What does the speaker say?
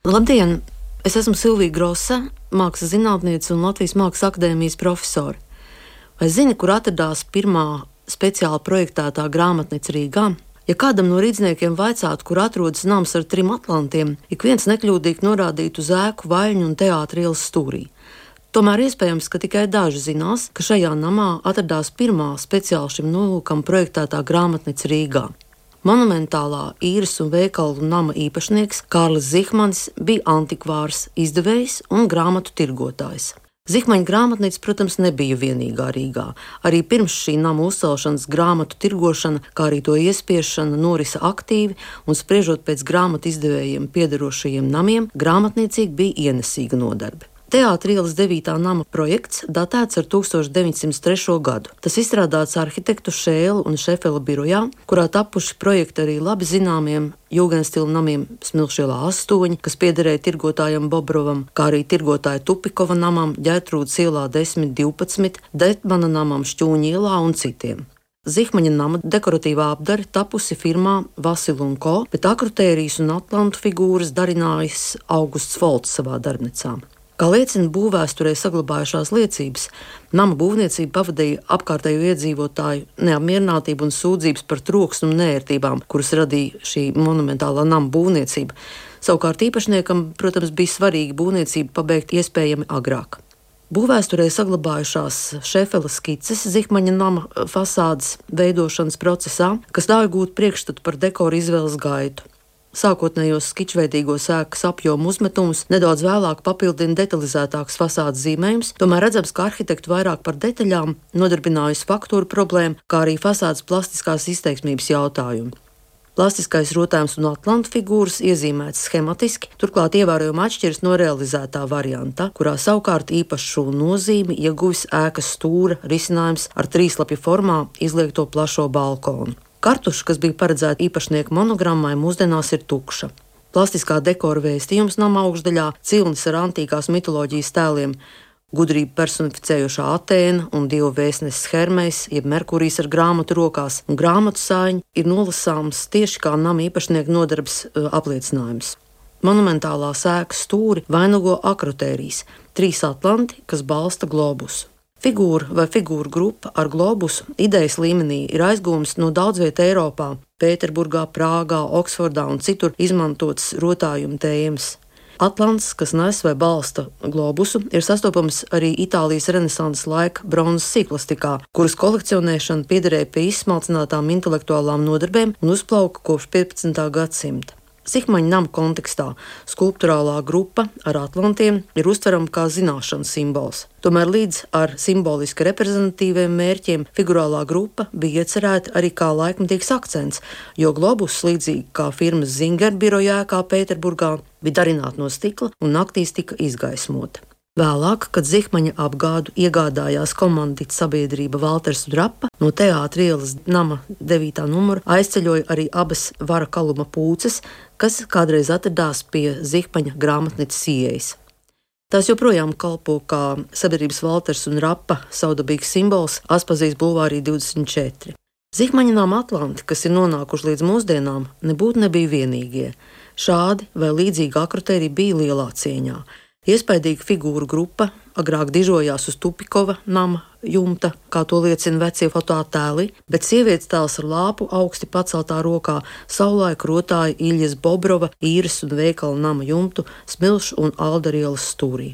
Labdien! Es esmu Silvija Grosa, mākslas zinātniece un Latvijas Mākslas akadēmijas profesore. Vai zini, kur atradās pirmā speciāli projektētā grāmatnīca Rīgā? Ja kādam no rīdzniekiem vaicātu, kur atrodas nams ar 3 atlantiem, ik viens nekļūdīgi norādītu uz ēku, vaļņu un teātra ielas stūrī. Tomēr iespējams, ka tikai daži zinās, ka šajā namā atradās pirmā speciāli šim nolūkam projektētā grāmatnīca Rīgā. Monumentālā īres un veikalu nama īpašnieks Kārlis Zihmanis bija antikvārs, izdevējs un grāmatu tirgotājs. Zihmaņa grāmatnīca, protams, nebija vienīgā Rīgā. Arī pirms šī nama uzcelšanas grāmatu tirgošana, kā arī to iespiešana, norisa aktīvi, un spriežot pēc grāmatu izdevējiem piederošajiem namiem, grāmatniecīgi bija ienesīga nodarbe. Teātra ielas 9. nama projekts datēts ar 1903. gadu. Tas izstrādāts arhitektu Šēla un Šefela birojā, kurā tapuši projekti arī labi zināmiem jūgenstila namiem Smilšielā 8, kas piederēja tirgotājam Bobrovam, kā arī tirgotāja Tupikova namam, Ģertrūdas ielā 10-12, Detmana namam Šķūņa ielā un citiem. Zihmaņa nama dekoratīvā apdare tapusi firmā Vasilu & Co, bet akrotērijas un atlantu figūras darinājis Augusts Folts savā darbnīcā. Kā liecina būvvēsturē saglabājušās liecības, nama būvniecību pavadīja apkārtējo iedzīvotāju neapmierinātību un sūdzības par troksni un neērtībām, kuras radīja šī monumentālā nama būvniecība. Savukārt īpašniekam, protams, bija svarīgi būvniecību pabeigt iespējami agrāk. Būvvēsturē saglabājušās Šefela skices Zihmaņa nama fasādes veidošanas procesā, kas ļauj gūt priekšstatu par dekoru izvēles gaitu. Sākotnējos skičveidīgos ēkas apjomu uzmetumus nedaudz vēlāk papildina detalizētāks fasādes zīmējums, tomēr redzams, ka arhitektu vairāk par detaļām nodarbinājusi faktūru problēmu, kā arī fasādes plastiskās izteiksmības jautājumu. Plastiskais rotājums un atlantu figūras iezīmētas schematiski, turklāt ievērojami atšķiras no realizētā varianta, kurā savukārt īpašu nozīmi ieguvis ēkas stūra risinājums ar 3-lapju formā izliekto plašo balkonu. Kartuša, kas bija paredzēta īpašnieka monogrammai, mūsdienās ir tukša. Plastiskā dekora vēstījums nama augšdaļā, cilnis ar antīkās mitoloģijas tēliem, gudrību personificējošā Atēna un dievu vēstnesis Hermejs, jeb Merkurijs ar grāmatu rokās, un grāmatu sāņi ir nolasāms tieši kā nama īpašnieka nodarbes apliecinājums. Monumentālā ēkas stūri vainago akrotērijas, 3 atlanti, kas balsta globusu. Figūra vai figūru grupa ar globusu idejas līmenī ir aizgūmas no daudzviet Eiropā, Pēterburgā, Prāgā, Oksfordā un citur izmantotas rotājuma tēmas. Atlants, kas nes vai balsta globusu, ir sastopams arī Itālijas renesanses laika bronzas sīkplastikā, kuras kolekcionēšana piederēja pie izsmalcinātām intelektuālām nodarbēm un uzplauka kopš 15. gadsimta. Zihmaņa nama kontekstā skulptūrālā grupa ar atlantiem ir uztverama kā zināšanu simbols. Tomēr līdz ar simboliski reprezentatīviem mērķiem figurālā grupa bija iecerēta arī kā laikmetīgs akcents, jo globus, līdzīgi kā firmas Zinger biroja ēkā Pēterburgā, bija darināta no stikla un naktīs tika izgaismota. Vēlāk, kad Zihmaņa apgādu iegādājās komandita sabiedrība Valters un Rapa, no teātra ielas nama 9. numura aizceļoja arī abas Vara Kaluma pūces, kas kādreiz atradās pie Zihmaņa grāmatnīcas ieejas. Tās joprojām kalpo kā sabiedrības Valters un Rapa savdabīgs simbols Aspazijas bulvārī 24. Zihmaņa nama atlanti, kas ir nonākuši līdz mūsdienām, nebūtu nebija vienīgie. Šādi vai līdzīgi akrotērija bija lielā cieņā. Iespaidīga figūru grupa agrāk dižojās uz Tupikova nama jumta, kā to liecina vecie fotoattēli, bet sievietes tēls ar lāpu augsti paceltā rokā savulaik rotāja Iļjas Bobrova īres un veikala nama jumtu Smilšu un Aldarielas stūrī.